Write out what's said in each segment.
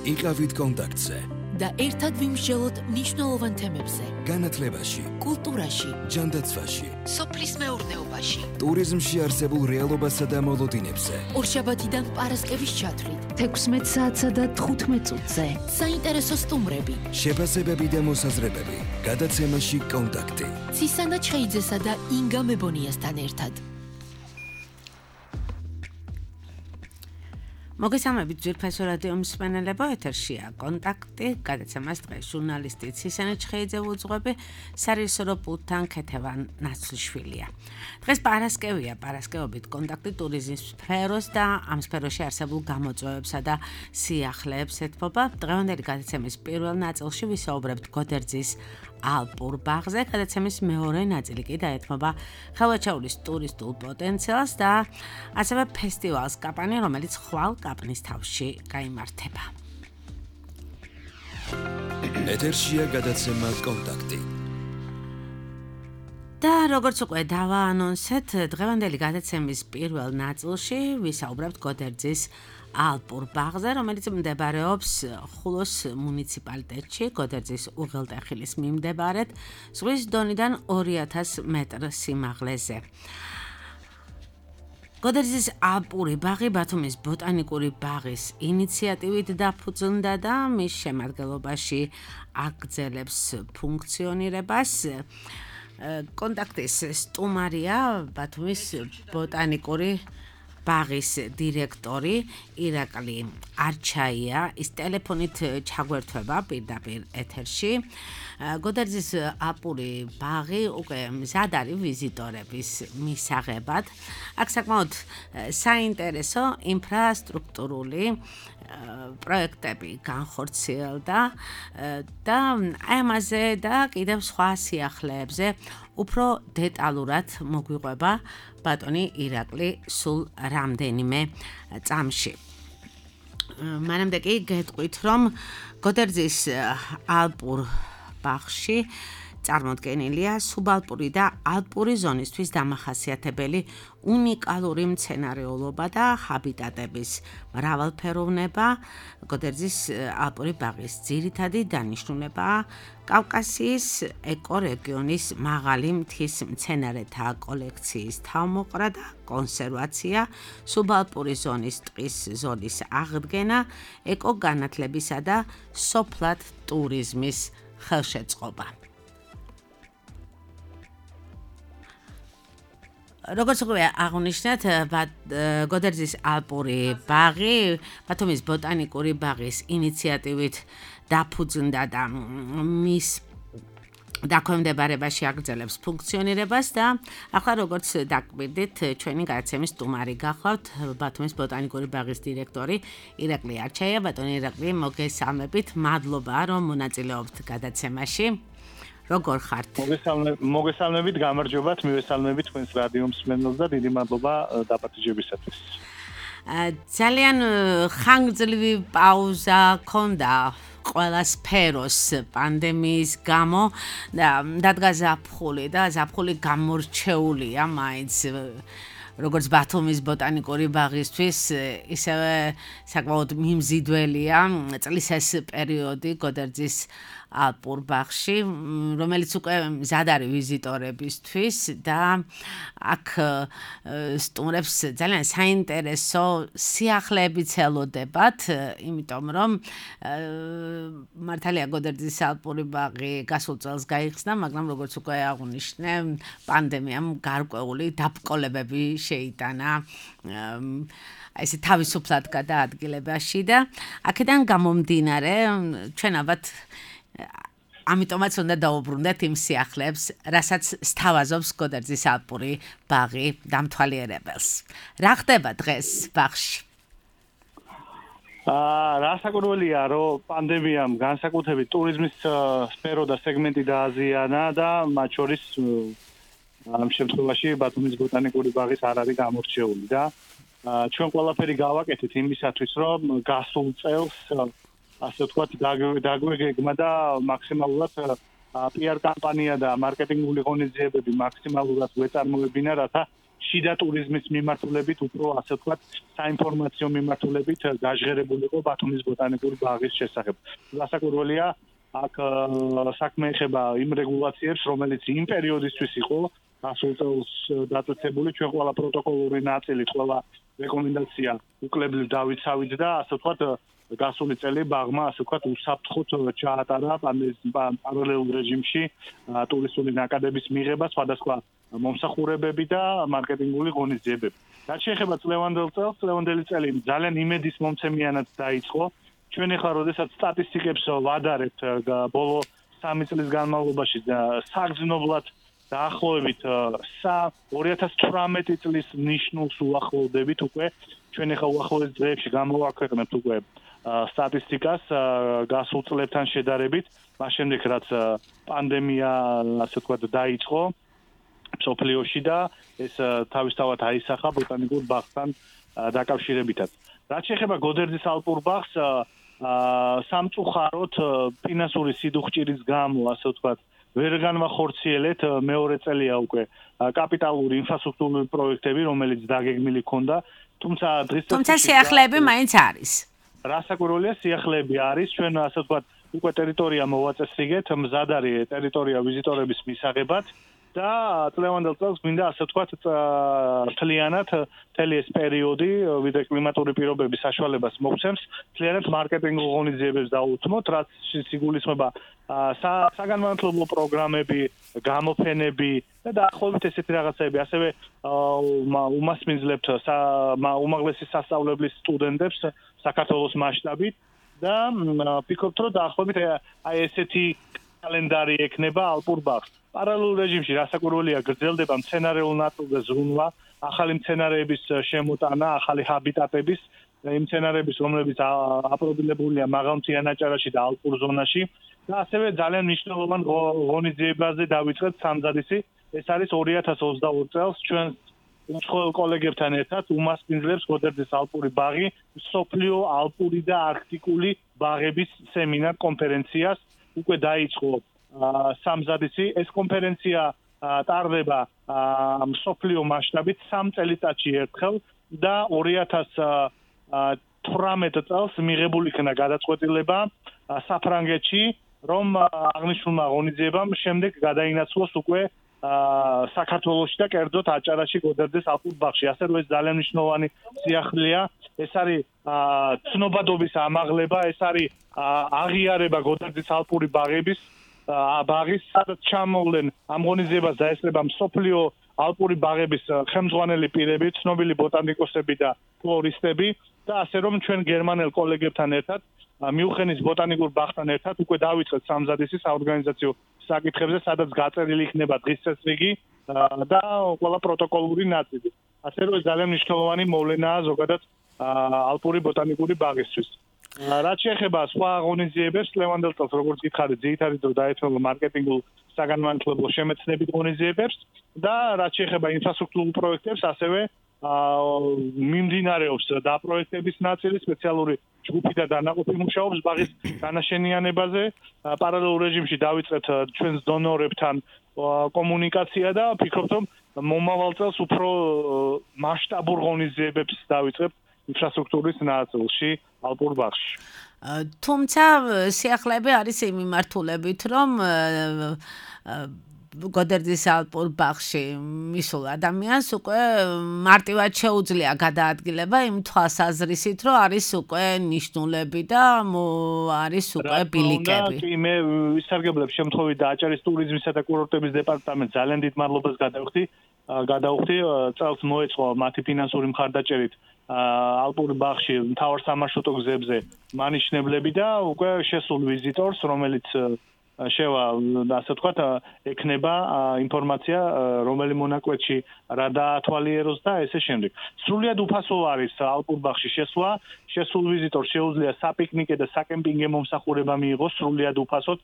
იყავით კონტაქტზე და ერთად ვიმსჯელოთ მნიშვნელოვან თემებზე. განათლებაში, კულტურაში, ჯანდაცვაში, სოფლის მეურნეობაში, ტურიზმში არსებულ რეალობასა და მოლოდინებზე. ორშაბათიდან პარასკევის ჩათვლით, 16 საათსა და 15 წუთზე. საინტერესო სტუმრები, შეფასებები და მოსაზრებები. გადაცემაში კონტაქტი. ცისანა ჩხეიძესა და ინგა მებონიასთან ერთად. მოგესალმებით ძვირფასო რადიო მსმენელებო, ეთერშია კონტაქტი, გადაცემას დღეს ჟურნალისტი ცისანა ჩხეიძე უძღვები, სარეჟისორო პულტთან ქეთევან ნაცვლიშვილია. დღეს პარასკევია, პარასკევობით კონტაქტი ტურიზმის სფეროს და ამ სფეროში არსებულ გამოწვევებსა და სიახლეებს ეთმობა. დღევანდელი გადაცემის პირველ ნაწილში ვისაუბრებთ გოდერძის ალპურ ბაღზე, გადაცემის მეორე ნაწილი კი დაეთმობა ხელვაჩაურის ტურისტულ პოტენციალს და ასევე ფესტივალს კაპანი, რომელიც ხვალ კაპნის თავში გაიმართება. ეთერშია გადაცემა კონტაქტი. და როგორც უკვე დავაანონსეთ, დღევანდელი გადაცემის პირველ ნაწილში ვისაუბრებთ გოდერძის ალპურ ბაღზე, რომელიც მდებარეობს ხულოს მუნიციპალიტეტში, გოდერძის უღელტეხილის მიმდებარედ, ზღვის დონიდან 2000 მეტრ სიმაღლეზე. გოდერძის ალპური ბაღი ბათუმის ბოტანიკური ბაღის ინიციატივით დაფუძნდა და მის შემადგენლობაში აგრძელებს ფუნქციონირებას. კონტაქტის სტუმარია ბათუმის ბოტანიკური ბაღის დირექტორი ირაკლი არჩაია, ის ტელეფონით ჩაგვერთვება პირდაპირ ეთერში. გოდერძის ალპური ბაღი უკვე მზად არის ვიზიტორების მისაღებად. აქ საკმაოდ საინტერესო ინფრასტრუქტურული პროექტები განხორციელდა და აი ამაზე და კიდევ სხვა სიახლეებზე უფრო დეტალურად მოგვიყვება ბატონი ირაკლი სულ რამდენიმე წამში. მანამდე კი გეტყვით, რომ გოდერძის ალპურ ბაღში წარმოდგენილია სუბალპური და ალპური ზონისთვის დამახასიათებელი უნიკალური მცენარეულობა და ჰაბიტატების მრავალფეროვნება. გოდერძის ალპური ბაღის ძირითადი დანიშნულებაა კავკასიის ეკორეგიონის მაღალი მთის მცენარეთა კოლექციის თავმოყრა და კონსერვაცია, სუბალპური ზონის ტყის ზოლის აღდგენა, ეკოგანათლებისა და სოფლად ტურიზმის ხელშეწყობა. როგორც უკვე აღნიშნეთ, გოდერძის ალპური ბაღი ბათუმის ბოტანიკური ბაღის ინიციატივით დაფუძნდა და მის დაქვემდებარებაში აგრძელებს ფუნქციონირებას და ახლა როგორც დაკვირდით, ჩვენი გადაცემის სტუმარი გახლავთ ბათუმის ბოტანიკური ბაღის დირექტორი ირაკლი არჩაია. ბატონი ირაკლი, მოგესალმებით, მადლობა რომ მონაწილეობთ გადაცემაში. როგორ ხართ? მოგესალმებით, გამარჯობათ, მივესალმებით თქვენს რადიო მსმენელს და დიდი მადლობა დაპატიჟებისათვის. ძალიან ხანგრძლივი პაუზა ჰქონდა ყველა სფეროს პანდემიის გამო და დადგა ზაფხული და ზაფხული გამორჩეულია მაინც როგორც ბათუმის ბოტანიკური ბაღისთვის, ისევე საკმაოდ მიმზიდველია წლის ეს პერიოდი გოდერძის ალპურ ბაღში, რომელიც უკვე მზად არის ვიზიტორებისთვის და აქ სტუმრებს ძალიან საინტერესო სიახლეებიც ელოდებათ, იმიტომ რომ მართალია გოდერძის ალპური ბაღი გასულ წელს გაიხსნა, მაგრამ როგორც უკვე აღნიშნე, პანდემიამ გარკვეული დაბკოლებები შეიტანა ესე თავისუფლად გადაადგილებაში და აქედან გამომდინარე ჩვენ ალბათ ამიტომაც უნდა დაუბრუნდეთ იმ სიახლეებს, რასაც სთავაზობს გოდერძის ალპური ბაღი დამთვალიერებელს. რა ხდება დღეს ბაღში? რა საკურველია, რომ პანდემიამ განსაკუთრებით ტურიზმის სფერო და სეგმენტი დააზიანა და მათ შორის ამ შემთხვევაში ბათუმის ბოტანიკური ბაღის არ არის გამორჩეული და ჩვენ ყველაფერი გავაკეთეთ იმისათვის, რომ გასულ წელს ასე ვთქვათ, დაგვეგეგმა და მაქსიმალურად PR კამპანია და მარკეტინგული ღონისძიებები მაქსიმალურად გვეწარმოებინა, რათა შიდა ტურიზმის მიმართულებით, უფრო ასე ვთქვათ, საინფორმაციო მიმართულებით გაჟღერებული იყო ბათუმის ბოტანიკური ბაღის შესახებ. გასაკვირველია, აქ საქმე ეხება იმ რეგულაციებს, რომელიც იმ პერიოდისთვის იყო გასულ წელს დაწესებული, ჩვენ ყველა პროტოკოლური ნაწილი, ყველა რეკომენდაცია უკლებლივ დავიცავით და ასე ვთქვათ გასული წელი ბაღმა ასე ვთქვათ უსაფრთხოდ ჩაატარა პარალელურ რეჟიმში ტურისტული ნაკადების მიღება სხვადასხვა მომსახურებები და მარკეტინგული ღონისძიებები. რაც შეეხება წლევანდელი წელი ძალიან იმედის მომცემიანად დაიწყო. ჩვენ ახლა როდესაც სტატისტიკებს ვადარებთ ბოლო 3 წლის განმავლობაში საგრძნობლად დაახლოებით 2018 წლის ნიშნულს უახლოვდებით უკვე ჩვენ ახლა უახლოეს დღეებში გამოვაქვეყნებთ უკვე სტატისტიკას გასულ წლებთან შედარებით, მას შემდეგ რაც პანდემია ასე ვთქვათ დაიწყო მსოფლიოში და ეს თავისთავად აისახა ბოტანიკურ ბაღთან დაკავშირებითაც. რაც შეეხება გოდერძის ალპურ ბაღს, სამწუხაროდ ფინანსური სიდუხჭირის გამო, ასე ვთქვათ, ვერ განვახორციელეთ მეორე წელია უკვე კაპიტალური ინფრასტრუქტურული პროექტები, რომელიც დაგეგმილი ქონდა, თუმცა სიახლეები მაინც არის. რასაკვირველია, სიახლეები არის, ჩვენ ასე ვთქვათ, უკვე ტერიტორია მოვაწესრიგეთ, მზად არის ტერიტორია ვიზიტორების მისაღებად და წლევანდელ წელს მინდა ასე ვთქვათ, მთლიანად მთელი ეს პერიოდი, ვიდრე კლიმატური პირობების საშუალებას მოგცემს, მთლიანად მარკეტინგულ ღონისძიებებს დაუთმოთ, რაც სიგულისხმება საგანმანათლებლო პროგრამები, გამოფენები და დაახლოებით ესეთი რაღაცები, ასევე უმასპინძლებთ უმაღლესი სასწავლებლის სტუდენტებს საქართველოს მასშტაბით და ვფიქრობთ, რომ დაახლოებით აი ესეთი კალენდარი ექნება ალპურ ბაღს. პარალელურ რეჟიმში რასაკვირველია გრძელდება მცენარეულ ნაწილზე ზრუნვა, ახალი მცენარეების შემოტანა, ახალი ჰაბიტატების, იმ მცენარეების, რომლებიც აპრობილებულია მაღალმთიან აჭარაში და ალპურ ზონაში და ასევე ძალიან მნიშვნელოვან ღონისძიებაზე დავიწყეთ სამზადისი. ეს არის 2022 წელს ჩვენ უცხოელ კოლეგებთან ერთად უმასპინძლებს გოდერძის ალპური ბაღი მსოფლიო ალპური და არქტიკული ბაღების სემინარ კონფერენციას უკვე დაიწყო სამზადისი. ეს კონფერენცია ტარდება მსოფლიო მასშტაბით 3 წელიწადში ერთხელ და 2018 წელს მიღებული იქნა გადაწყვეტილება საფრანგეთში, რომ აღნიშნულმა ღონისძიებამ შემდეგ გადაინაცვლოს უკვე საქართველოში და კერძოდ აჭარაში გოდერძის ალპურ ბაღში. ასე რომ ეს ძალიან მნიშვნელოვანი სიახლეა. ეს არის ცნობადობის ამაღლება, ეს არის აღიარება გოდერძის ალპური ბაღების სადაც ჩამოვლენ ამ ღონისძიებას დაესწრება მსოფლიო ალპური ბაღების ხელმძღვანელი პირები, ცნობილი ბოტანიკოსები და ფლორისტები და ასე რომ ჩვენ გერმანელ კოლეგებთან ერთად მიუხენის ბოტანიკურ ბაღთან ერთად უკვე დავიწყეთ სამზადისი საორგანიზაციო საკითხებზე, სადაც გაწერილი იქნება დღის წესრიგი და ყველა პროტოკოლური ნაწილი. ასე რომ ძალიან მნიშვნელოვანი მოვლენაა ზოგადად ალპური ბოტანიკური ბაღისთვის. რაც შეეხება სხვა ღონისძიებებს, წლევანდელ წელს როგორც გითხარით, ძირითადად დაეთმობა მარკეტინგულ საგანმანათლებლო შემეცნებით ღონისძიებებს და რაც შეეხება ინფრასტრუქტურულ პროექტებს, ასევე მიმდინარეობს დაპროექტების ნაწილი, სპეციალური ჯგუფი და დანაყოფი მუშაობს ბაღის განაშენიანებაზე. პარალელურ რეჟიმში დავიწყეთ ჩვენს დონორებთან კომუნიკაცია და ვფიქრობთ, რომ მომავალ წელს უფრო მასშტაბურ ღონისძიებებს დავიწყებთ ინფრასტრუქტურის ნაწილში ალპურ ბაღში. თუმცა სიახლეები არის იმ მიმართულებით, რომ გოდერძის ალპურ ბაღში მისულ ადამიანს უკვე მარტივად შეუძლია გადაადგილება იმ თვალსაზრისით, რომ არის უკვე ნიშნულები და არის უკვე ბილიკები. მე ვისარგებლებ შემთხვევით და აჭარის ტურიზმისა და კურორტების დეპარტამენტს ძალიან დიდ მადლობას გადავხდი. წელს მოეწყო მათი ფინანსური მხარდაჭერით ალპურ ბაღში მთავარ სამარშრუტო გზებზე მანიშნებლები და უკვე შესულ ვიზიტორს, რომელიც შევა ასე ვთქვათ, ექნება ინფორმაცია, რომელი მონაკვეთში რა დაათვალიეროს და ესე შემდეგ. სრულიად უფასო არის ალპურ ბაღში შესვლა, შესულ ვიზიტორს შეუძლია საპიკნიკე და საკემპინგე მომსახურება მიიღოს სრულიად უფასოდ.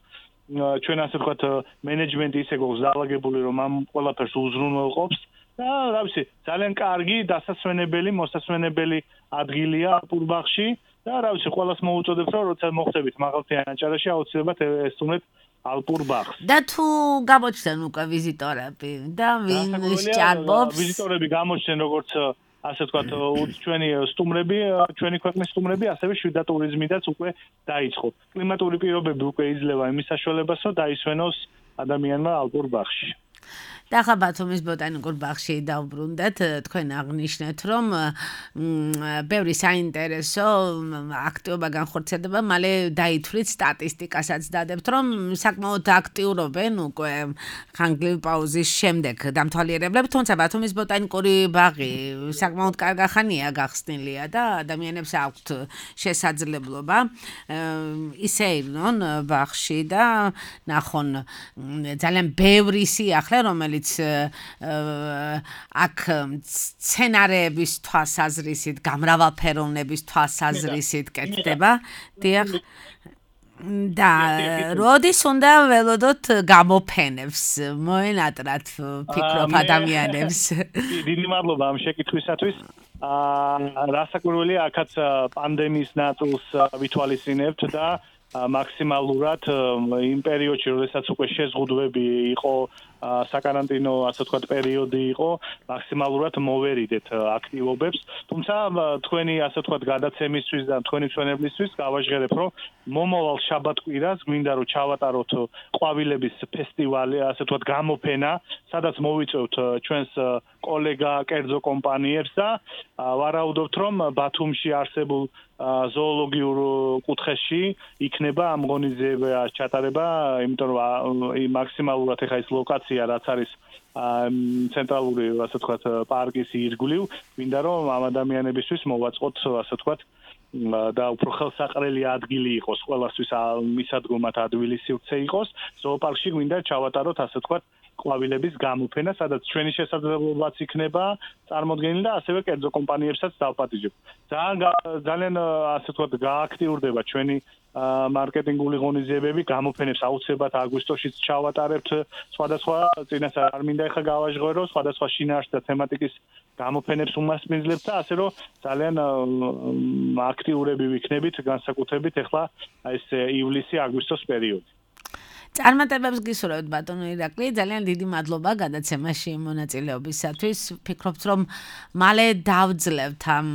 ჩვენ ასე ვთქვათ, მენეჯმენტი ისე გვაქვს დაალაგებული, რომ ამ ყველაფერს უზრუნველყოფს და რა ვიცი, ძალიან კარგი დასასვენებელი, მოსასვენებელი ადგილია ალპურ ბაღში და რა ვიცი, ყველას მოუწოდებთ, რომ როცა მოხდებით მაღალმთიან აჭარაში, აუცილებლად ესტუმრეთ ალპურ ბაღს. და თუ გამოჩნდნენ უკვე ვიზიტორები და ვინ სჭარბობს? ვიზიტორები გამოჩნდნენ როგორც ასე ვთქვათ, ჩვენი სტუმრები, ჩვენი ქვეყნის სტუმრები, ასევე შვიდა ტურიზმიდაც უკვე დაიწყო. კლიმატური პირობები უკვე იძლევა იმის საშუალებას, რომ დაისვენოს ადამიანმა ალპურ ბაღში. და ახლა ბათუმის ბოტანიკურ ბაღში დავბრუნდეთ, თქვენ აღნიშნეთ, რომ ბევრი საინტერესო აქტივობა განხორციელდება, მალე დაითვლით სტატისტიკასაც დადებთ, რომ საკმაოდ აქტიურობენ უკვე ხანგრძლივი პაუზის შემდეგ დამთვალიერებლებს, თუმცა ბათუმის ბოტანიკური ბაღი საკმაოდ კარგი ხანია გახსნილია და ადამიანებს აქვთ შესაძლებლობა ისე ირნონ ბაღში და ნახონ ძალიან ბევრი სიახლე, რომელიც აქ სცენარეების თვალსაზრისით, გამრავალფეროვნების თვალსაზრისით კეთდება. დიახ. და როდის უნდა ველოდოთ გამოფენებს, მოენატრათ ფიქრობ ადამიანებს. დიდი მადლობა ამ შეკითხვისათვის. რასაკვირველია, აქაც პანდემიის ნაწილს ვითვალისწინებთ და მაქსიმალურად იმ პერიოდში, როდესაც უკვე შეზღუდვები იყო, საკარანტინო, ასე ვთქვათ, პერიოდი იყო, მაქსიმალურად მოვერიდეთ აქტივობებს. თუმცა თქვენი, ასე ვთქვათ, გადაცემისთვის და თქვენი ჩვენებლისთვის გავაჟღერებ, რომ მომავალ შაბათ-კვირას გვინდა რომ ჩავატაროთ ყვავილების ფესტივალი, ასე ვთქვათ, გამოფენა, სადაც მოვიწევთ ჩვენს კოლეგა კერძო კომპანიებს და ვარაუდობთ, რომ ბათუმში არსებულ ზოოლოგიურ კუთხეში იქნება ამ ღონისძიება ჩატარება, იმიტომ რომ მაქსიმალურად ეხა ის ლოკაცია, რაც არის ცენტრალური, ასე ვთქვათ, პარკის ირგვლივ, მინდა რომ ამ ადამიანებისთვის მოვაწყოთ, ასე ვთქვათ, და უფრო ხელსაყრელი ადგილი იყოს, ყველასთვის მისადგომად ადვილი სივრცე იყოს. ზოოპარკში გვინდა ჩავატაროთ, ასე ვთქვათ, ყვავილების გამოფენა, სადაც ჩვენი შესაძლებლობაც იქნება წარმოდგენილი და ასევე კერძო კომპანიებსაც დავპატიჟებ. ძალიან ასე ვთქვათ, გააქტიურდება ჩვენი მარკეტინგული ღონისძიებები, გამოფენებს აუცილებლად აგვისტოშიც ჩავატარებთ. სხვადასხვა წინასწარ არ მინდა ეხა გავაჟღერო, სხვადასხვა შინაარსი და თემატიკის გამოფენებს უმასპინძლებთ და ასე რომ ძალიან აქტიურები ვიქნებით, განსაკუთრებით ეხლა ეს ივლისი-აგვისტოს პერიოდი. წარმატებებს გისურვებთ ბატონო ირაკლი, ძალიან დიდი მადლობა გადაცემაში მონაწილეობისათვის. ვფიქრობთ, რომ მალე დავძლევთ ამ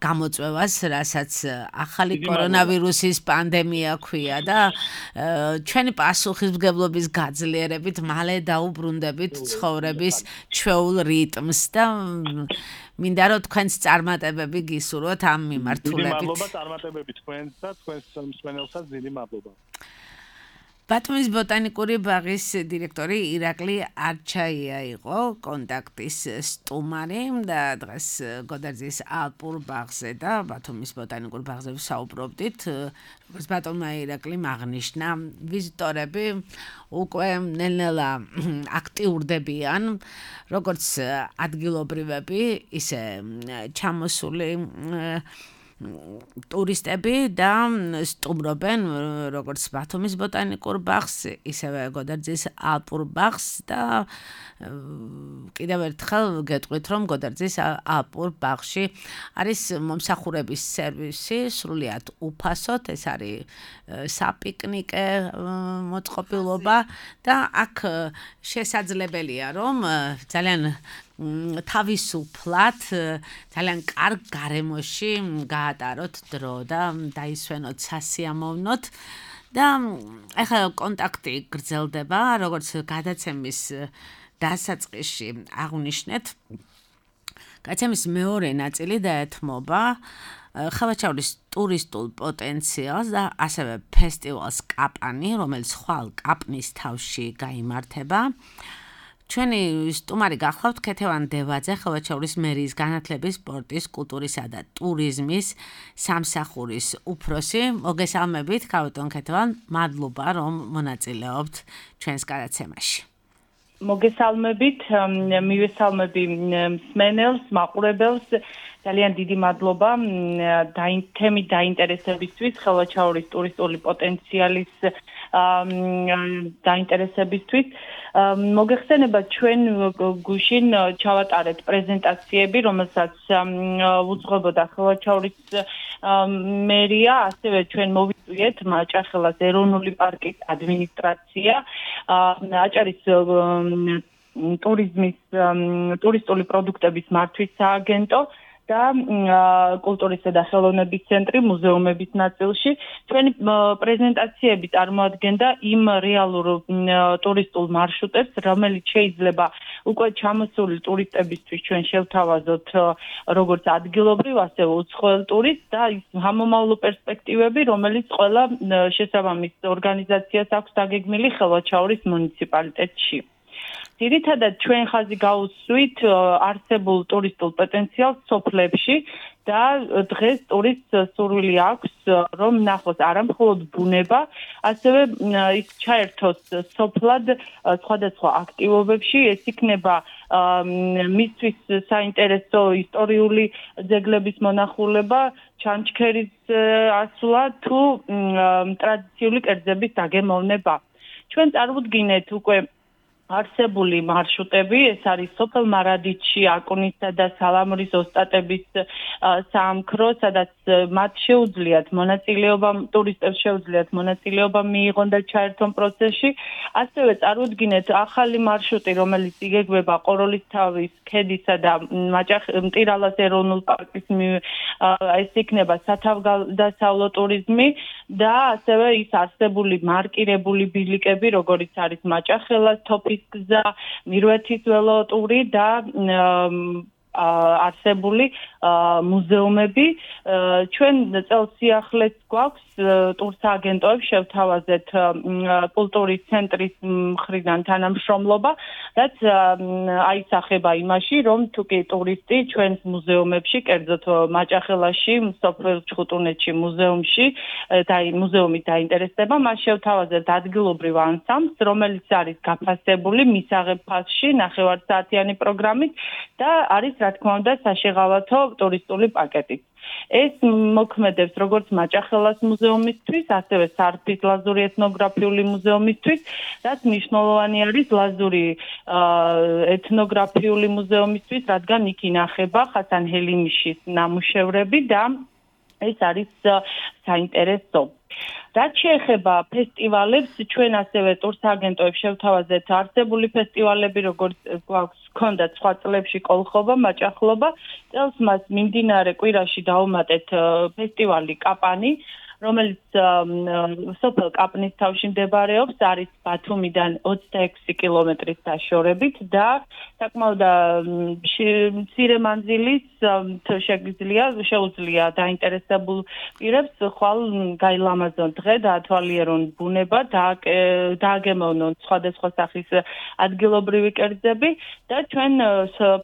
გამოწვევას, რასაც ახალი კორონავირუსის პანდემია ქვია და ჩვენი პასუხისმგებლობის გაძლიერებით მალე დაუბრუნდებით ცხოვრების ჩვეულ რიტმს და მინდა რომ თქვენს წარმატებები გისურვოთ ამ მიმართულებით. დიდი მადლობა წარმატებებით თქვენს და თქვენს მსმენელსაც დიდი მადლობა. ბათუმის ბოტანიკური ბაღის დირექტორი ირაკლი არჩაია იყო კონტაქტის სტუმარი და დღეს გოდერძის ალპურ ბაღზე და ბათუმის ბოტანიკურ ბაღზე ვსაუბრობდით. როგორც ბატონმა ირაკლიმ აღნიშნა, ვიზიტორები უკვე ნელ-ნელა აქტიურდებიან, როგორც ადგილობრივები, ისე ჩამოსული ტურისტები და სტუმრობენ როგორც ბათუმის ბოტანიკურ ბაღს, ისევე გოდერძის ალპურ ბაღს და კიდევ ერთხელ გეტყვით, რომ გოდერძის ალპურ ბაღში არის მომსახურების სერვისი სრულიად უფასოდ, ეს არის საპიკნიკე მოწყობილობა და აქ შესაძლებელია, რომ ძალიან თავისუფლად, ძალიან კარგ გარემოში გაატაროთ დრო და დაისვენოთ სასიამოვნოდ და ახლა კონტაქტი გრძელდება, როგორც გადაცემის დასაწყისში აღვნიშნეთ. გადაცემის მეორე ნაწილი დაეთმობა ხევაჩაურის ტურისტულ პოტენციალს და ასევე ფესტივალს კაპანი, რომელიც ხვალ კაპნის თავში გაიმართება. ჩვენი სტუმარი გახლავთ ქეთევან დევაძე, ხევაჩაურის მერიის განათლების, სპორტის, კულტურისა და ტურიზმის სამსახურის უფროსი. მოგესალმებით, ბატონ ქეთევან, მადლობა რომ მონაწილეობთ ჩვენს გადაცემაში. მოგესალმებით, მივესალმები მსმენელს, მაყურებელს. ძალიან დიდი მადლობა თემის დაინტერესებისთვის, ხევაჩაურის ტურისტული პოტენციალის დაინტერესებისთვის. მოგეხსენება ჩვენ გუშინ ჩავატარეთ პრეზენტაციები, რომელსაც უძღვებოდა ხელვაჩაურის მერია, ასევე ჩვენ მოვიწვიეთ მაჭახელას ეროვნული პარკის ადმინისტრაცია, აჭარის ტურისტული პროდუქტების მართვის სააგენტო და კულტურისა და ხელოვნების ცენტრი მუზეუმების ნაწილში. ჩვენი პრეზენტაციები წარმოადგენდა იმ რეალურ ტურისტულ მარშრუტებს, რომელიც შეიძლება უკვე ჩამოსული ტურისტებისთვის ჩვენ შევთავაზოთ როგორც ადგილობრივ, ასევე უცხოელ ტურისტს და ის ამომავლო პერსპექტივები, რომელიც ყველა შესაბამის ორგანიზაციას აქვს დაგეგმილი ხელვაჩაურის მუნიციპალიტეტში. ძირითადად ჩვენ ხაზი გავუსვით არსებულ ტურისტულ პოტენციალს სოფლებში და დღეს ტურისტს სურვილი აქვს რომ ნახოს არა მხოლოდ ბუნება, ასევე ის ჩაერთოს სოფლად სხვადასხვა აქტივობებში, ეს იქნება მისთვის საინტერესო ისტორიული ძეგლების მონახულება, ჩანჩქერის ასვლა თუ ტრადიციული კერძების დაგემოვნება. ჩვენ წარმოვიდგინეთ უკვე არსებული მარშრუტები, ეს არის სოფელ მარადიჩი, აკუნისა და სალამურის ოსტატების საამქრო, სადაც მათ შეუძლიათ მონაწილეობა, ტურისტებს შეუძლიათ მონაწილეობა მიიღონ და ჩაერთონ პროცესში. ასევე წარმოვიდგინეთ ახალი მარშრუტი, რომელიც იგეგმება ყოროლისთავის ქედისა და მტირალას ეროვნულ პარკის ეს იქნება სათავგადასავლო ტურიზმი და ასევე ის არსებული მარკირებული ბილიკები, როგორიც არის მაჭახელას თოფის გზა, მირვეთის ველოტური და არსებული მუზეუმები. ჩვენ წელს სიახლეს გვაქვს ტურსააგენტოებს შევთავაზეთ კულტურის ცენტრის მხრიდან თანამშრომლობა, რაც აისახება იმაში, რომ თუკი ტურისტი ჩვენს მუზეუმებში, კერძოდ მაჭახელაში, სოფელ ჩხუტუნეთში მუზეუმში მუზეუმით დაინტერესდება, მას შევთავაზეთ ადგილობრივ ანსამბლს, რომელიც არის გაფასებული მისაღებ ფასში, ნახევარსაათიანი პროგრამით და არის რა თქმა უნდა საშეღავათო ტურისტული პაკეტით. ეს მოქმედებს როგორც მაჭახელას მუზეუმისთვის, ასევე სარფის ლაზური ეთნოგრაფიული მუზეუმისთვის, რაც მნიშვნელოვანი არის ლაზური ეთნოგრაფიული მუზეუმისთვის, რადგან იქ ინახება ხასან ჰელიმიშის ნამუშევრები და ეს არის საინტერესო. რაც შეეხება ფესტივალებს, ჩვენ ასევე ტურსააგენტოებს შევთავაზეთ არსებული ფესტივალები, როგორც გვქონდათ სხვა წლებში კოლხობა, მაჭახლობა. წელს მას მიმდინარე კვირაში დავუმატეთ ფესტივალი კაპანი, რომელიც სოფელ კაპნის თავში მდებარეობს, არის ბათუმიდან 26 კილომეტრის დაშორებით და საკმაოდ მცირე მანძილის შეუძლია დაინტერესებულ პირებს ხვალ გაილამაზონ დღე, დაათვალიერონ ბუნება, დააგემოვნონ სხვადასხვა სახის ადგილობრივი კერძები და ჩვენ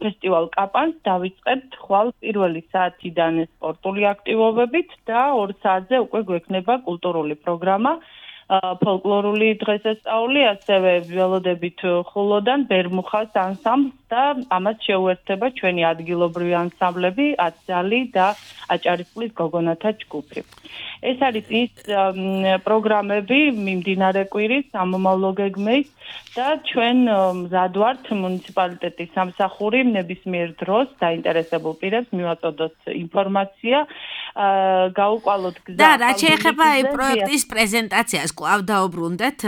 ფესტივალ კაპანს დავიწყებთ ხვალ პირველი საათიდან სპორტული აქტივობებით და 2 საათზე უკვე გვექნება კულტურული პროგრამა, ფოლკლორული დღესასწაული, ასევე ველოდებით ხულოდან ბერმუხას ანსამბლს და ამას შეუერთდება ჩვენი ადგილობრივი ანსამბლები, ათძალი და აჭარისწყლის გოგონათა ჯგუფი. ეს არის ის პროგრამები მიმდინარე კვირის ამომავლო გეგმის და ჩვენ მზად ვართ მუნიციპალიტეტის სამსახური ნებისმიერ დროს დაინტერესებულ პირებს მივაწოდოთ ინფორმაცია, გაუყვალოთ გზა. და რაც შეეხება აი პროექტის პრეზენტაციას, კვლავ დაუბრუნდეთ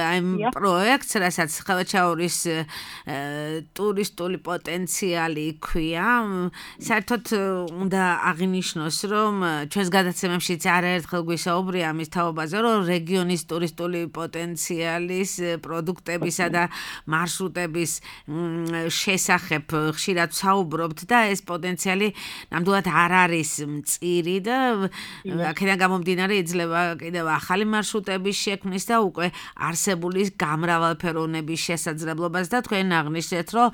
აი პროექტს, რასაც ხელვაჩაურის ტურისტული პოტენციალი ქვია. საერთოდ უნდა აღინიშნოს, რომ ჩვენს გადაცემებშიც არაერთხელ გვისაუბრია ამის თაობაზე, რომ რეგიონის ტურისტული პოტენციალის პროდუქტებისა და მარშრუტების შესახებ ხშირად საუბრობთ და ეს პოტენციალი ნამდვილად არ არის მწირი და აქედან გამომდინარე იძლევა კიდევ ახალი მარშრუტების შექმნის და უკვე არსებული გამრავალფეროვნების შესაძლებლობას და თქვენ აღნიშნეთ, რომ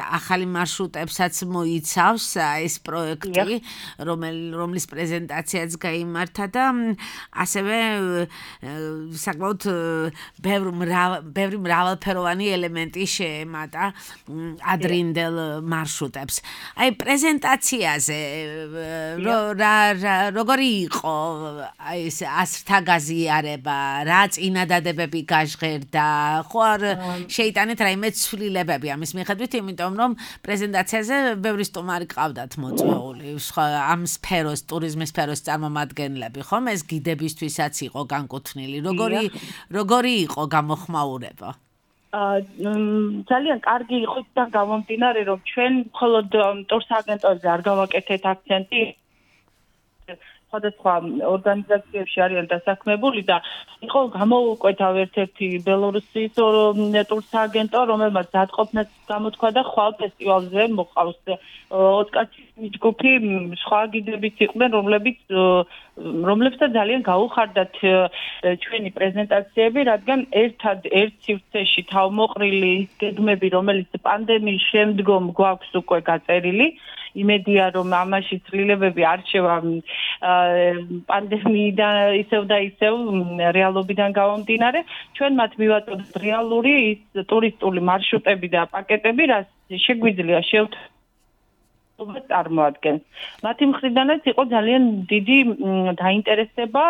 ახალი მარშრუტებსაც მოიცავს ეს პროექტი, რომლის პრეზენტაციაც გაიმართა და ასევე საკმაოდ ბევრი მრავალფეროვანი ელემენტი შეემატა ადრინდელ მარშრუტებს. აი პრეზენტაციაზე როგორი იყო ეს ასრთა გაზიარება ხდება, რა წინადადებები გაჟღერდა, ხო არ შეიტანეთ რაიმე ცვლილებები ამის მიხედვით, იმიტომ რომ პრეზენტაციაზე ბევრი სტუმარი ყავდათ მოწვეული, ამ სფეროს, ტურიზმის სფეროს წარმომადგენლები, ხომ ეს გიდებისთვისაც იყო განკუთვნილი. როგორი იყო გამოხმაურება? ძალიან კარგი იყო და გამომდინარე რომ ჩვენ მხოლოდ ტურს აგენტოებზე არ გავაკეთეთ აქცენტი სხვადასხვა ორგანიზაციებში არიან დასაქმებული და იყო გამოუკვეთა ერთ-ერთი ბელორუსის ტურს აგენტო, რომელმაც დატყობნაც გამოთქვა და ხვალ ფესტივალზე მოყავს 20 კაცის ჯგუფი, სხვა გიდებით იყვნენ, რომლებსაც ძალიან გაუხარდათ ჩვენი პრეზენტაციები, რადგან ერთ სივრცეში თავმოყრილი გეგმები, რომელიც პანდემიის შემდგომ გვაქვს უკვე გაწერილი, იმედია რომ ამაში ცვლილებები არჩევა პანდემიიდან ისევ და ისევ რეალობიდან გამომდინარე, ჩვენ მათ მივაწოდეთ რეალური ტურისტული მარშრუტები და პაკეტები, რაც შეგვიძლია წარმოადგენს. მათი მხრიდანაც იყო ძალიან დიდი დაინტერესება,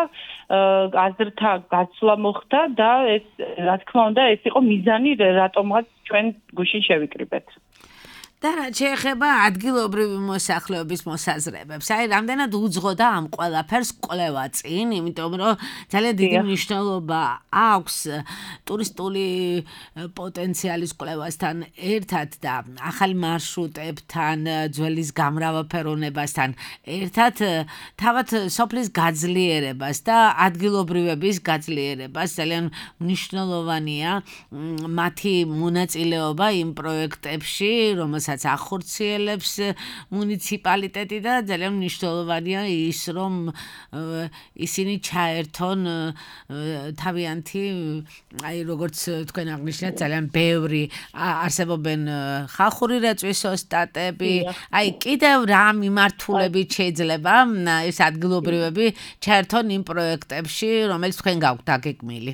აზრთა გაცვლა მოხდა და ეს რა თქმა უნდა ეს იყო მიზანი, რატომღაც ჩვენ გუშინ შევიკრიბეთ. და რაც შეეხება ადგილობრივი მოსახლეობის მოსაზრებებს, აი რამდენად უძღოდა ამ ყველაფერს კვლევა წინ, იმიტომ რომ ძალიან დიდი მნიშვნელობა აქვს ტურისტული პოტენციალის კვლევასთან ერთად და ახალი მარშრუტებთან, ძველის გამრავალფეროვნებასთან ერთად, თავად სოფლის გაძლიერებას და ადგილობრივების გაძლიერებას ძალიან მნიშვნელოვანია მათი მონაწილეობა იმ პროექტებში, რომელსაც ახორციელებს მუნიციპალიტეტი და ძალიან მნიშვნელოვანია ის, რომ ისინი ჩაერთონ თავიანთი, აი როგორც თქვენ აღნიშნეთ, ძალიან ბევრი არსებობენ ხალხური რეწვის ოსტატები, აი კიდევ რა მიმართულებით შეიძლება ეს ადგილობრივები ჩაერთონ იმ პროექტებში, რომელიც თქვენ გაქვთ დაგეგმილი.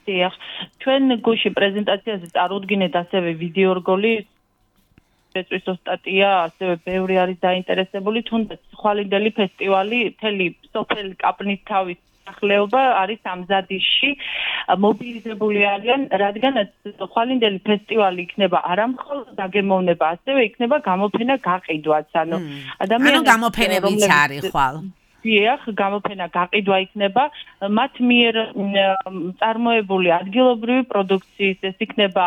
დიახ, ჩვენ გუშინ პრეზენტაციაზე წარუდგინეთ ასევე ვიდეო რგოლი რეწვის ოსტატია, ასევე ბევრი არის დაინტერესებული, თუნდაც ხვალინდელი ფესტივალი, მთელი სოფელი კაპნისთავის სახლეობა არის ამზადისში მობილიზებული არიან, რადგანაც ხვალინდელი ფესტივალი იქნება არა მხოლოდ დაგემოვნება, ასევე იქნება გამოფენა გაყიდვაც, ანუ ადამიანები გამოფენებიც არის ხვალ. დიახ, გამოფენა გაყიდვა იქნება მათ მიერ წარმოებული ადგილობრივი პროდუქციის, ეს იქნება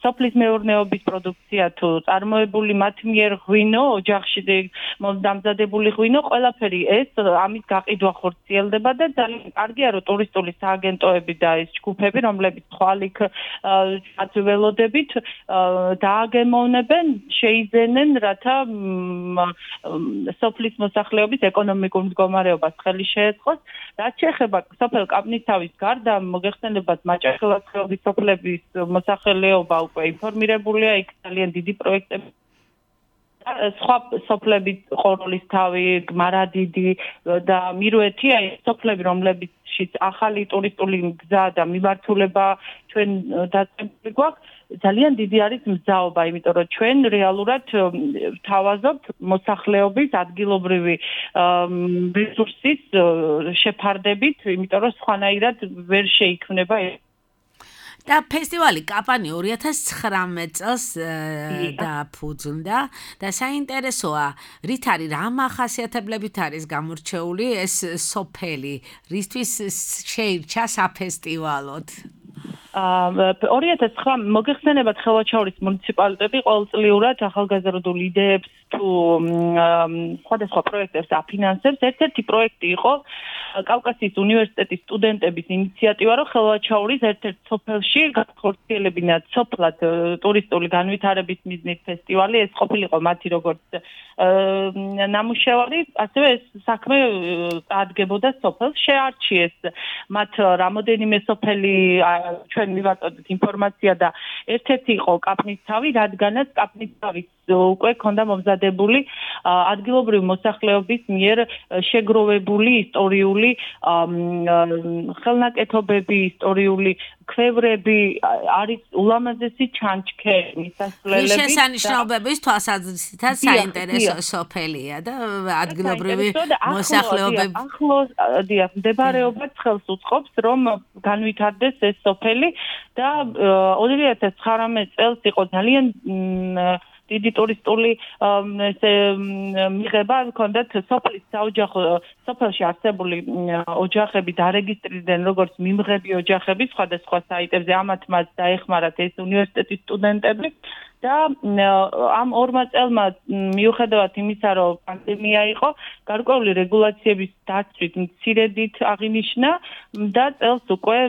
სოფლის მეურნეობის პროდუქცია თუ წარმოებული მათ მიერ ღვინო, ოჯახში დამზადებული ღვინო, ყველაფერი ეს ამის გაყიდვა ხორციელდება და ძალიან კარგია რომ ტურისტული სააგენტოები და ეს ჯგუფები, რომლებიც ხვალ იქ ველოდებით დააგემოვნებენ, შეიძენენ, რათა სოფლის მოსახლეობის ეკონომიკურ მდგომარეობას ხელი შეეწყოს. რაც შეეხება სოფელ კაპნისთავის გარდა, მოგეხსენებათ მაჭახელას ხეობის სოფლების მოსახლეობა უკვე ინფორმირებულია, იქ ძალიან დიდი პროექტები სხვა სოფლები ყოროლისთავი, გმარადიდი და მირუეთი, აი სოფლები, რომლებიც ახალი ტურისტული გზა და მიმართულება ჩვენ დაწესებული გვაქვს, ძალიან დიდი არის მზაობა, იმიტომ რომ ჩვენ რეალურად ვთავაზობთ მოსახლეობის ადგილობრივი რესურსის შეფარდებით, იმიტომ რომ სხვანაირად ვერ შეიქმნება და ფესტივალი კაპანი 2019 წელს დაფუძნდა და საინტერესოა, რით არის, რა მახასიათებლებით არის გამორჩეული ეს სოფელი, რისთვის შეირჩა საფესტივალოდ? 2009 მოგეხსენებათ ხელვაჩაურის მუნიციპალიტეტი ყოველწლიურად ახალგაზრდულ იდეებს თუ სხვადასხვა პროექტებს აფინანსებს. ერთ-ერთი პროექტი იყო კავკასიის უნივერსიტეტის სტუდენტების ინიციატივა, რომ ხელვაჩაურის ერთ-ერთ სოფელში გახორციელებინათ სოფლად ტურისტული განვითარების მიზნით ფესტივალი. ეს ყოფილიყო მათი როგორც ნამუშევარი, ასევე ეს საქმე წარდგებოდა სოფელს, შეარჩიეს მათ რამოდენიმე სოფელი ჩვენ მივაწოდეთ ინფორმაცია და ერთ-ერთი იყო კაპნისთავი, რადგანაც კაპნისთავის უკვე ქონდა მომზადებული ადგილობრივი მოსახლეობის მიერ შეგროვებული ისტორიული ისტორიული ხელნაკეთობები, ისტორიული ქვევრები, არის ულამაზესი ჩანჩქერი, მისასვლელები. შესანიშნაობების თვალსაზრისითაც საინტერესო სოფელია და ადგილობრივი მოსახლეობები ახლოს მდებარეობა ხელს უწყობს, რომ განვითარდეს ეს სოფელი და 2019 წელს იყო ძალიან დიდი ტურისტული მიღება ჰქონდათ სოფლის საოჯახო სოფელში არსებული ოჯახები დარეგისტრირდნენ როგორც მიმღები ოჯახები სხვადასხვა საიტებზე ამათ მათ დაეხმარათ ეს უნივერსიტეტის სტუდენტები და ამ ორმა წელმა მიუხედავად იმისა რომ პანდემია იყო გარკვეული რეგულაციების დაცვით მცირედით აღინიშნა და წელს უკვე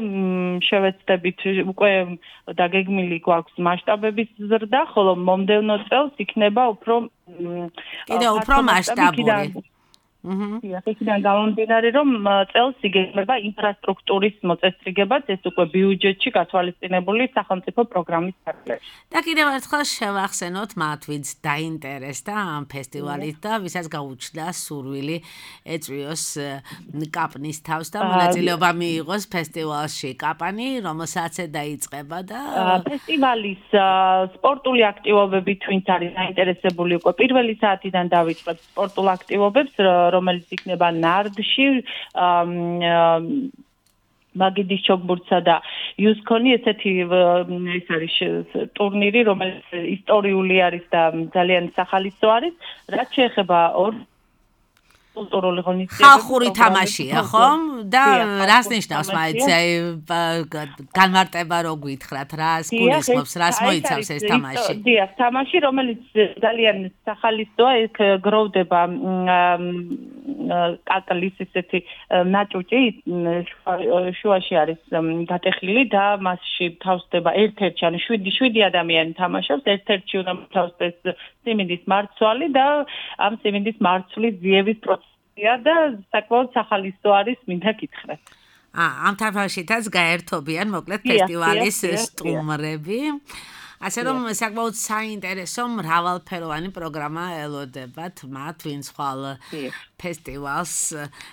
შევეცდებით უკვე დაგეგმილი გვაქვს მასშტაბების ზრდა ხოლო მომდევნო წელს იქნება უფრო მასშტაბური იქიდან გამომდინარე რომ წელს იგეგმება ინფრასტრუქტურის მოწესრიგებაც ეს უკვე ბიუჯეტში გათვალისწინებული სახელმწიფო პროგრამის ფარგლებში. და კიდევ ერთხელ შევახსენოთ მათ ვინც დაინტერესდა ამ ფესტივალით და ვისაც გაუჩნდა სურვილი ეწვიოს კაპნის თავს და მონაწილეობა მიიღოს ფესტივალში კაპანი რომელსაც დაიწყება და ფესტივალის სპორტული აქტივობებით ვინც არის დაინტერესებული უკვე პირველი საათიდან დავიწყებთ სპორტულ აქტივობებს რომელიც იქნება ნარდში მაგიდის ჩოგბურთსა და იუსკონი ესეთი ეს არის ტურნირი რომელიც ისტორიული არის და ძალიან სახალისო არის რაც შეეხება კულტურული ღონისძიებები ხალხური თამაშია ხომ და რას ნიშნავს მაინც განმარტება რო გითხრათ რას გულისხმობს რას მოიცავს ეს თამაში დიახ თამაში რომელიც ძალიან სახალისოა ეს გროვდება კაკლის ესეთი ნაჭუჭი შუაში არის გატეხილი და მასში თავსდება ერთ-ერთი ანუ 7 ადამიანი თამაშობს ერთ-ერთი უნდა თავსდეს სიმინდის მარცვალი და ამ სიმინდის მარცვლის ძიების პროცესია და საკმაოდ სახალისო არის მინდა გითხრათ. ამ თამაშითაც გაერთობიან მოკლედ ფესტივალის სტუმრები. ასე რომ საკმაოდ საინტერესო მრავალფეროვანი პროგრამა ელოდებათ მათ ვინც ხვალ ფესტივალს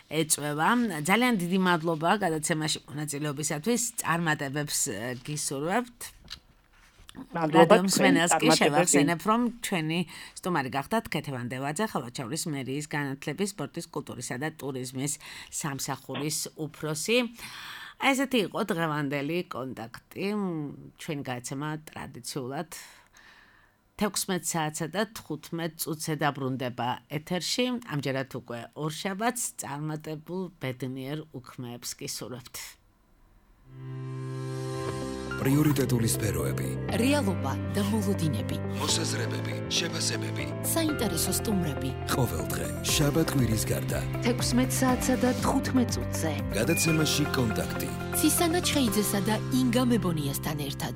ეწვევა. ძალიან დიდი მადლობა გადაცემაში მონაწილეობისათვის. წარმატებებს გისურვებთ. მსმენელს კი შევახსენებ, რომ ჩვენი სტუმარი გახდათ ქეთევან დევაძე, ხალხაჩავრის მერიის განათლების, სპორტის, კულტურისა და ტურიზმის სამსახურის უფროსი. ესეთი იყო დღევანდელი კონტაქტი. ჩვენი გადაცემა ტრადიციულად 16 საათსა და 15 წუთზე დაბრუნდება ეთერში. ამჯერად უკვე ორშაბათს წარმატებულ ბედნიერ უქმეებს გისურვებთ. პრიორიტეტული სფეროები, რეალობა და მოლოდინები, მოსაზრებები, შეფასებები, საინტერესო სტუმრები. ყოველდღე შაბათ-კვირის გარდა 16 საათსა და 15 წუთზე გადაცემაში კონტაქტი. ცისანა ჩხეიძესა და ინგა მებონიასთან ერთად.